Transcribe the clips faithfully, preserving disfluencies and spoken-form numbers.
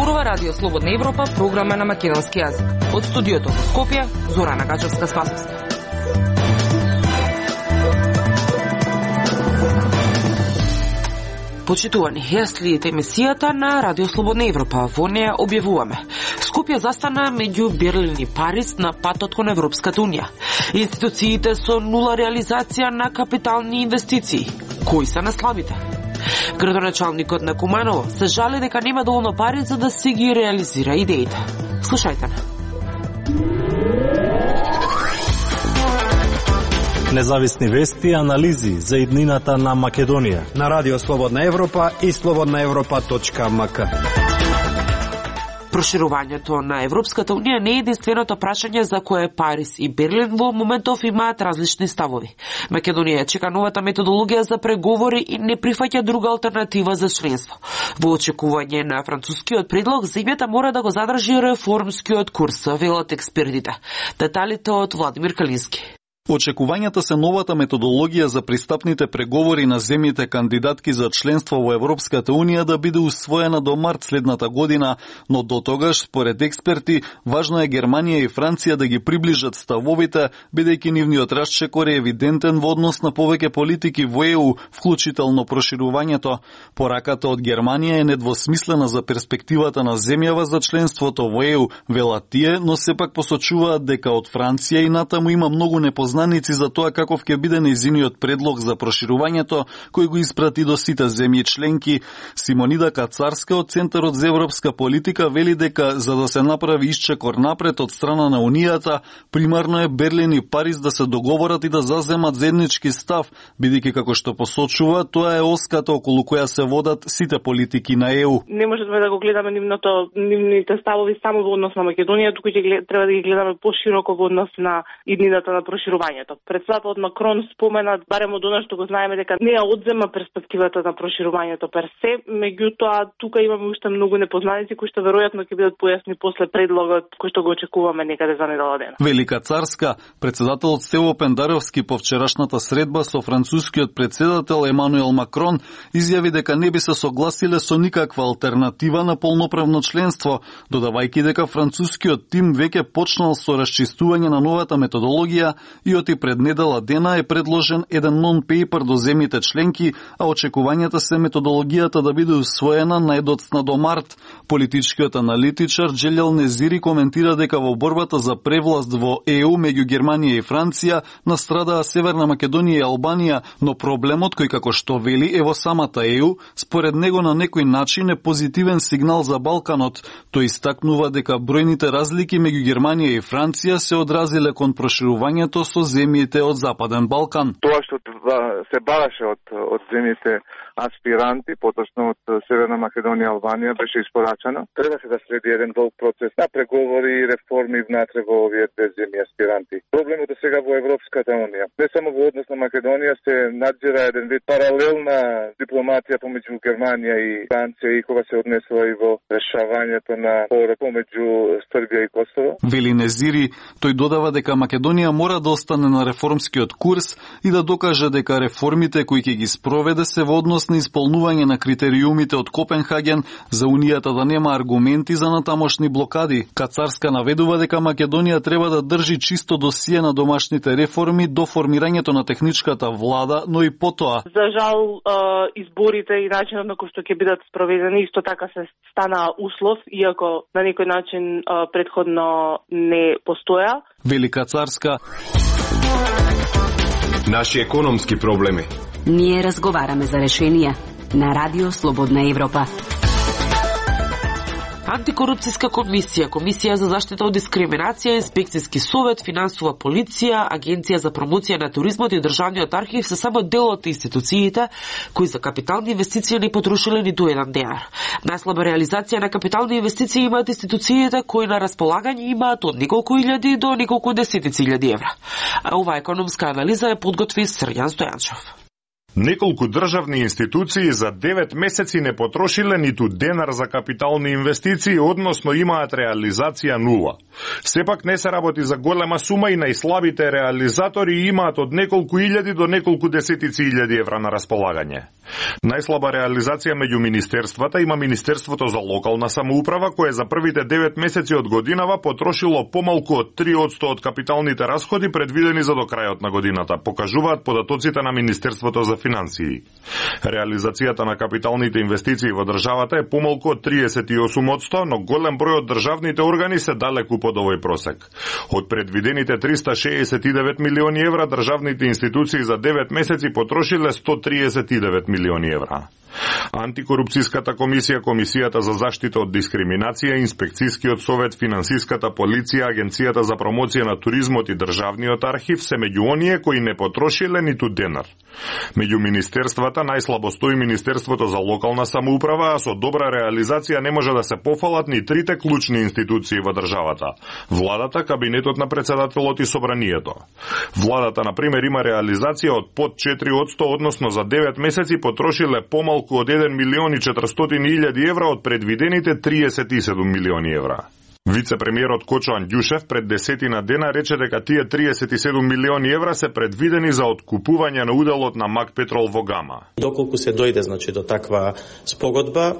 зборува Радио Слободна Европа, програма на македонски јазик. Од студиото во Скопје, Зорана Гачевска-Спасовска. Почитувани, ја следите емисијата на Радио Слободна Европа. Во неја објавуваме: Скопје застана меѓу Берлин и Париз на патот кон Европската унија. Институциите со нула реализација на капитални инвестиции. Кои се наслабите? Градоначалникот на Куманово се жали дека нема доволно пари за да си ги реализира идеите. Слушајте на. Независни вести и анализи за иднината на Македонија на Радио Слободна Европа и слободна европа точка ем ка. Проширувањето на Европската унија не е единственото прашање за кое Париз и Берлин во моментов имаат различни ставови. Македонија чека новата методологија за преговори и не прифаќа друга алтернатива за членство. Во очекување на францускиот предлог, земјата мора да го задржи реформскиот курс, велат експертите. Деталите од Владимир Калински. Очекувањата се новата методологија за пристапните преговори на земјите кандидатки за членство во Европската унија да биде усвоена до март следната година, но до тогаш, според експерти, важно е Германија и Франција да ги приближат ставовите, бидејќи нивниот расчекор е евидентен во однос на повеќе политики во Е У, вклучително проширувањето. Пораката од Германија е недвосмислена за перспективата на земјава за членството во Е У, велат тие, но сепак посочуваат дека од Франција и натаму има многу непознаници за тоа каков ќе биде нејзиниот предлог за проширувањето, кој го испрати до сите земји членки. Симонида Кацарска од Центарот за европска политика вели дека за да се направи исчекор напред од страна на Унијата, примарно е Берлин и Париз да се договорат и да заземат заеднички став, бидејќи како што посочува, тоа е оската околу која се водат сите политики на Е У. Не можеме да го гледаме нивното нивните ставови само во однос на Македонија, туку ќе треба да ги гледаме пошироко во однос на иднината на проширувањето. Председателот Макрон спомена, барем од она што го знаеме, дека не ја одзема перспективата на проширувањето пер се, меѓутоа тука имаме уште многу непознаници кои што веројатно ќе бидат појасни после предлогот кој што го очекуваме некаде за недела дена. Велика Царска, председателот Стево Пендаровски по вчерашната средба со францускиот председател Емануел Макрон изјави дека не би се согласиле со никаква алтернатива на полноправно членство, додавајќи дека францускиот тим веќе почнал со расчистување на новата методологија и оти пред недела дена е предложен еден нон-пейпер до земјите членки, а очекувањата се методологијата да биде усвоена најдоцна до март. Политичкиот аналитичар Джелел Незири коментира дека во борбата за превласт во Е У меѓу Германија и Франција настрадаа Северна Македонија и Албанија, но проблемот кој како што вели е во самата Е У, според него на некој начин е позитивен сигнал за Балканот. Тој истакнува дека бројните разлики меѓу Германија и Франција се одразиле кон проширувањето со земјите од Западен Балкан. Тоа што се бараше од, од земјите аспиранти, поточно од Северна Македонија и Албанија, беше испорачано. Требаше да следи еден долг процес на преговори и реформи внатре во овие две земји аспиранти. Проблемот е сега во Европската унија. Не само во однос на Македонија се надзира еден вид паралелна дипломатија помеѓу Германија и Франција и кога се однесува и во решавањето на спорот помеѓу Србија и Косово. Вели Незири, тој додава дека Македонија мора да остане на реформскиот курс и да докаже дека реформите кои ќе ги спроведе се во однос на исполнување на критериумите од Копенхаген за Унијата да нема аргументи за натамошни блокади. Кацарска наведува дека Македонија треба да држи чисто досие на домашните реформи до формирањето на техничката влада, но и потоа. За жал, изборите и начинот на кој што ќе бидат спроведени исто така се стана услов, иако на некој начин претходно не постоја. Велика Царска. Наши економски проблеми. Ние разговараме за решенија на Радио Слободна Европа. Антикорупцијска комисија, Комисија за заштита од дискриминација, Инспекцијски совет, Финансова полиција, Агенција за промоција на туризмот и Државниот архив се само дел од институциите кои за капитални инвестиции не потрошиле ниту еден денар. Најслаба реализација на капитални инвестиции имаат институциите кои на располагање имаат од неколку илјади до неколку десетици илјади евра. А оваа економска анализа е подготви Срјан Стојанчов. Неколку државни институции за девет месеци не потрошиле ниту денар за капитални инвестиции, односно имаат реализација нула. Сепак не се работи за голема сума и најслабите реализатори имаат од неколку илјади до неколку десетици илјади евра на располагање. Најслаба реализација меѓу министерствата има Министерството за локална самоуправа, кое за првите девет месеци од годинава потрошило помалку од три одсто од капиталните расходи предвидени за до крајот на годината, покажуваат податоците на Министерството за финансии. Реализацијата на капиталните инвестиции во државата е помалку од триесет и осум одсто, но голем број од државните органи се далеку под овој просек. Од предвидените триста шеесет и девет милиони евра, државните институции за девет месеци потрошиле сто триесет и девет милиони евра. Антикорупцијската комисија, Комисијата за заштита од дискриминација, Инспекцијскиот совет, Финансиската полиција, Агенцијата за промоција на туризмот и Државниот архив се меѓу оние кои не потрошиле ниту денар. Меѓу министерствата најслабо стои Министерството за локална самоуправа, а со добра реализација не може да се пофалат ни трите клучни институции во државата: владата, кабинетот на председателот и собранието. Владата, на пример, има реализација од под четири одсто, односно за девет месеци потрошиле помалку од еден милион и четиристотини илјади евра од предвидените триесет и седум милиони евра. Вице-премиерот Кочо Андјушев пред десетина дена рече дека тие триесет и седум милиони евра се предвидени за откупување на уделот на Мак Петрол во Гама. Доколку се дојде значи до таква спогодба,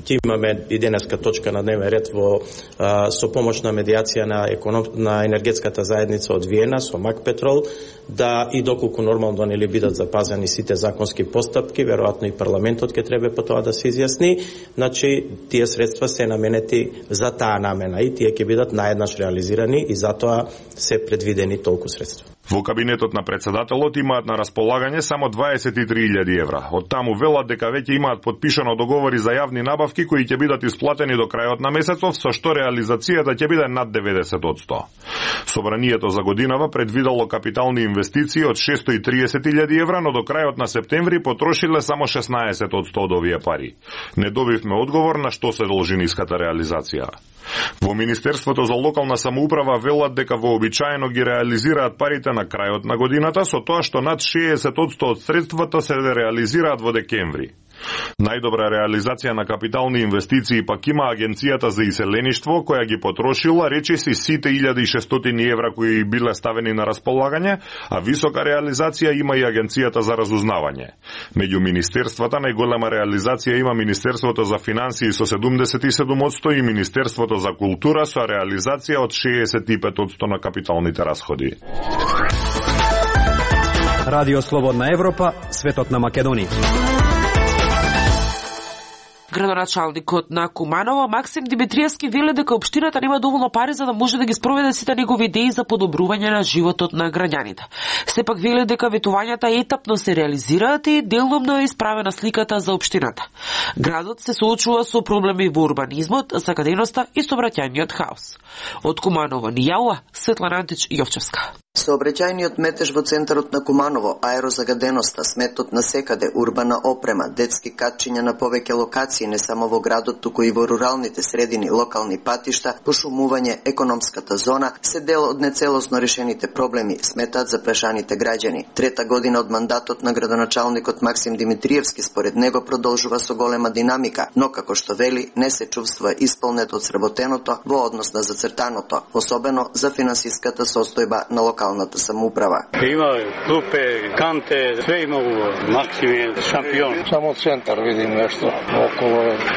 ти имаме и денеска точка на дневен ред во а, со помош на медијација на економ, на енергетската заедница од Виена со Мак Петрол, да и доколку нормално нели бидат запазени сите законски постапки, веројатно и парламентот ќе треба по тоа да се изјасни, значи тие средства се наменети за таа намена и тие ќе бидат наеднаш реализирани и затоа се предвидени толку средства. Во кабинетот на председателот имаат на располагање само дваесет и три илјади евра. Од таму велат дека веќе имаат подпишано договори за јавни набавки кои ќе бидат исплатени до крајот на месецов, со што реализацијата ќе биде над деветдесет одсто. Собранието за годинава предвидало капитални инвестиции од шестстотини и триесет илјади евра, но до крајот на септември потрошиле само шеснаесет одсто од овие пари. Не добивме одговор на што се должи ниската реализација. Во Министерството за локална самоуправа велат дека вообичаено ги реализираат парите на крајот на годината, со тоа што над шеесет одсто од средствата се реализираат во декември. Најдобра реализација на капитални инвестиции пак има Агенцијата за иселеништво, која ги потрошила речиси сите илјада и шестстотини евра кои биле ставени на располагање, а висока реализација има и Агенцијата за разузнавање. Меѓу министерствата најголема реализација има Министерството за финансии со седумдесет и седум одсто и Министерството за култура со реализација од шеесет и пет одсто на капиталните расходи. Радио Слободна Европа, светот на Македонија. Градоначалникот на Куманово Максим Димитриевски вели дека општината нема доволно пари за да може да ги спроведе сите негови идеи за подобрување на животот на граѓаните. Сепак вели дека ветувањата етапно се реализираат и делумно е исправена сликата за општината. Градот се соочува со проблеми во урбанизмот, закаденоста и сообраќајниот хаос. Од Куманово ни јавува Светлана Антич Јовчевска. Сообраќајниот метеж во центарот на Куманово, аерозагаденоста, сметот на секаде, урбана опрема, детски катчиња на повеќе локации не само во градот, туку и во руралните средини, локални патишта, пошумување, економската зона, се дел од нецелосно решените проблеми, сметаат запрашаните граѓани. Трета година од мандатот на градоначалникот Максим Димитриевски според него продолжува со голема динамика, но како што вели, не се чувствува исполнет од сработеното во однос на зацртаното, особено за финансиската состојба на локалната самоуправа. Има клупе, канте, све има убаво. Максим е шампион. Само центар видим нешто околу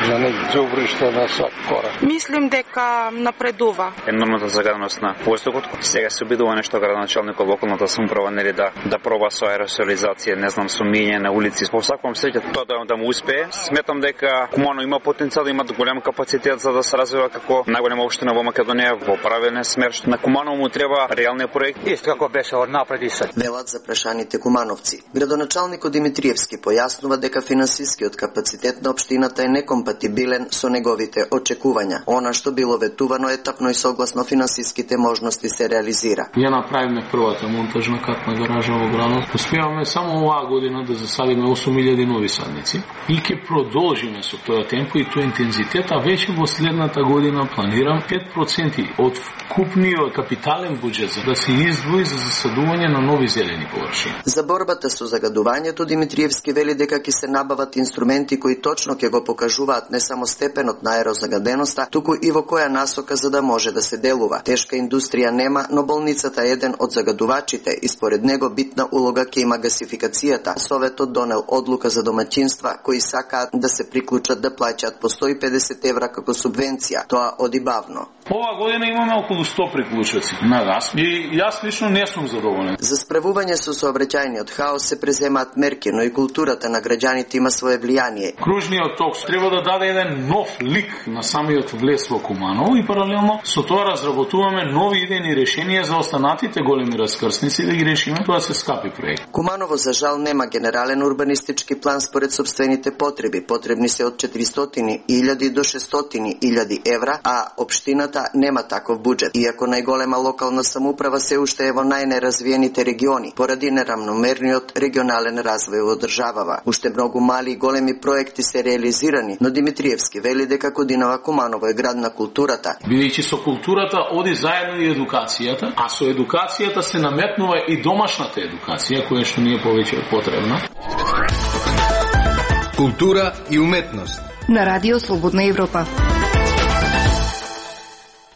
на nek џубриште на свак корак. Мислим дека напредува. Енормната загаденост на воздухот. Сега се обидува нешто градоначалникот во околната самоуправа нели да да проба со аеросолизација, не знам, со мијање на улици. По сакам среќа тоа да, да му успее. Сметам дека Куманово има потенцијал, има голем капацитет за да се развива како најголема општина во Македонија во правилен смер. На Куманово му треба реални проекти. Исто како беше од напред и се. Велат за прашаните кумановци. Градоначалникот Димитриевски појаснува дека финансискиот капацитет на општината е некомпатибилен со неговите очекувања. Она што било ветувано етапно и согласно финансиските можности се реализира. Ја направиме првата монтажна катна гаража во градот. Успеваме само оваа година да засадиме осум илјади нови садници и ќе продолжиме со тој темпо и тој интензитет, а веќе во следната година планирам пет проценти од вкупниот капитален буџет за да се из издвои за засадување на нови зелени површини. За борбата со загадувањето Димитриевски вели дека ќе се набават инструменти кои точно ќе го покажуваат не само степенот на аерозагаденоста, туку и во која насока за да може да се делува. Тешка индустрија нема, но болницата е еден од загадувачите и според него битна улога ќе има гасификацијата. Советот донел одлука за домаќинства кои сакаат да се приклучат да плаќаат по сто и педесет евра како субвенција. Тоа оди бавно. Ова година имаме околу сто приклучоци на газ и јас лично не сум задоволен. За справување со сообраќајниот хаос се преземаат мерки, но и културата на граѓаните има свое влијание. Кружниот ток треба да даде еден нов лик на самиот влез во Куманово и паралелно со тоа разработуваме нови идејни решенија за останатите големи раскрсници да ги решиме, тоа се скапи проект. Куманово за жал нема генерален урбанистички план според сопствените потреби. Потребни се од четиристотини илјади до шестстотини илјади евра, а општината нема таков буџет. Иако најголема локална самоуправа се уште е во најнеразвиените региони, поради неравномерниот регионален развој во државава. Уште многу мали и големи проекти се реализирани, но Димитриевски вели дека годинава Куманово е град на културата. Бидејќи со културата оди заедно и едукацијата, а со едукацијата се наметнува и домашната едукација, која што ни е повеќе потребна. Култура и уметност на Радио Слободна Европа.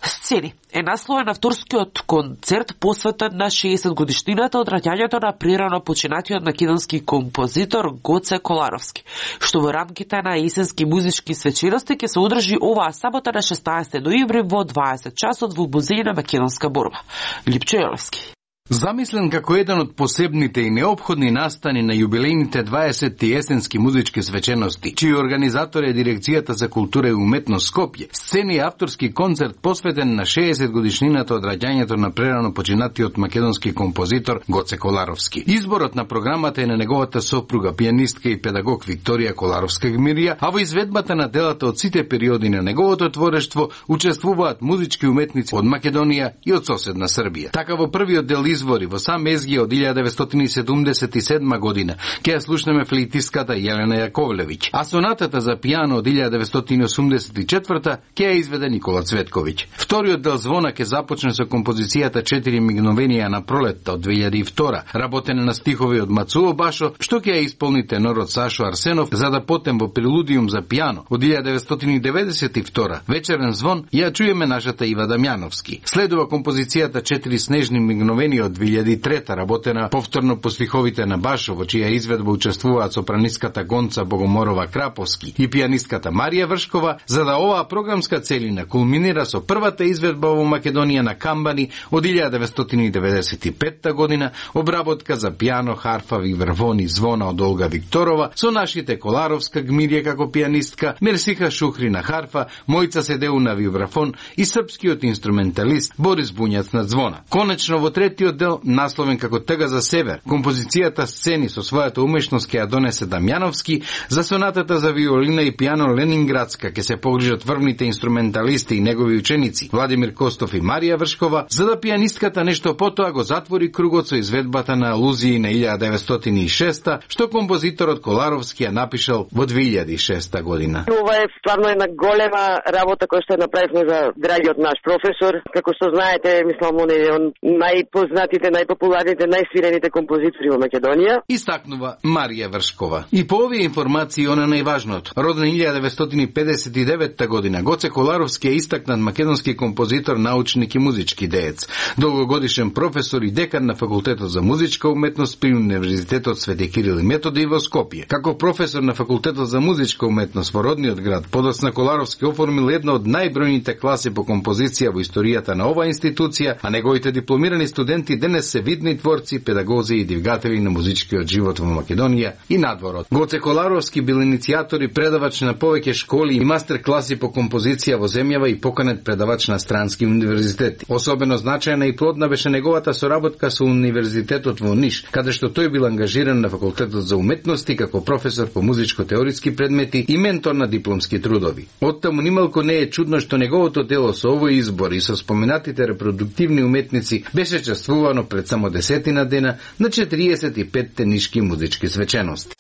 Сцени е насловен на вторскиот концерт посветен на шеесет годишнината од раѓањето на прерано починатиот македонски композитор Гоце Коларовски, што во рамките на есенски музички свечености ќе се одржи оваа сабота на шеснаесети ноември во дваесет часот во Музеј на македонска борба. Липчо Јелевски. Замислен како еден од посебните и неопходни настани на јубилејните дваесетти есенски музички свечености, чиј организатор е Дирекцијата за култура и уметност Скопје, сцени е авторски концерт посветен на шеесет годишнината од раѓањето на прерано починатиот македонски композитор Гоце Коларовски. Изборот на програмата е на неговата сопруга, пианистка и педагог Викторија Коларовска-Гмирија, а во изведбата на делата од сите периоди на неговото творештво учествуваат музички уметници од Македонија и од соседна Србија. Така во првиот дел извори во сам Езги од илјада деветстотини седумдесет и седма година ќе ја слушнеме флейтиската Јелена Јаковлевиќ, а сонатата за пијано од илјада деветстотини осумдесет и четврта ќе ја изведе Никола Цветковиќ. Вториот дел звона ќе започне со композицијата Четири мигновенија на пролетта од две илјади и втора, работена на стихови од Мацуо Башо, што ќе ја исполни тенорот Сашо Арсенов, за да потем во прелудиум за пијано од илјада деветстотини деветдесет и втора, вечерен звон, ја чуеме нашата Ива Дамјановски. Следува композицијата Четири снежни мигновенија од две илјади и трета, работена повторно по стиховите на Башо, во чија изведба учествуваат сопранистката Гонца Богоморова Краповски и пианистката Марија Вршкова, за да оваа програмска целина кулминира со првата изведба во Македонија на камбани од илјада деветстотини деветдесет и петта година, обработка за пијано, харфа, вибрафон и звона од Олга Викторова, со нашите Коларовска Гмирија како пианистка, Мерсиха Шухри на харфа, Мојца Седеу на вибрафон и српскиот инструменталист Борис Буњац на звона. Конечно, во третиот дел, насловен како Тъга за север, композицијата Сцени со својата умешност ќе ја донесе Дамјановски, за сонатата за виолина и пијано Ленинградска ќе се погрижат врвните инструменталисти и негови ученици Владимир Костов и Марија Вршкова, за да пианистката нешто потоа го затвори кругот со изведбата на алузии на илјада деветстотини и шеста, што композиторот Коларовски ја напишал во две илјади и шеста година. Ова е стварно една голема работа која што направивме за драгиот наш професор. Како што знаете, мислам, он е он најпознатите, најпопуларните, најсвирените композитори во Македонија. Истакнува Марија Вршкова. И по овие информации она најважното. Роден илјада деветстотини педесет и девета година, Гоце Коларовски е истакнат македонски композитор, научник и музички деец. Долгогодишен професор и декан на Факултетот за музичка уметност при Универзитетот Свети Кирил и Методи во Скопје. Како професор на Факултетот за музичка уметност во родниот град, подоцна Коларовски оформил една од најбројните класи по композиција во историјата на оваа институција, а неговите дипломирани студенти денес се видни творци, педагози и двигатели на музичкиот живот во Македонија и надворот. Гоце Коларовски бил иницијатор и предавач на повеќе школи и мастер класи по композиција во земјава и поканет предавач на странски универзитети. Особено значајна и плодна беше неговата соработка со Универзитетот во Ниш, каде што тој бил ангажиран на Факултетот за уметности како професор по музичко-теоретски предмети и ментор на дипломски трудови. Оттаму нималку не е чудно што неговото дело со овој избор и со споменатите репродуктивни уметници беше чествувано пред само десетина дена на четириесет и петте нишки музички свечености.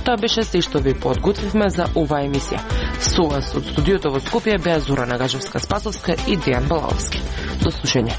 Тоа беше се што ви подготвивме за оваа емисија. Со вас од студиото во Скопје беа Зорана Гажевска-Спасовска и Дејан Балаовски. До слушање.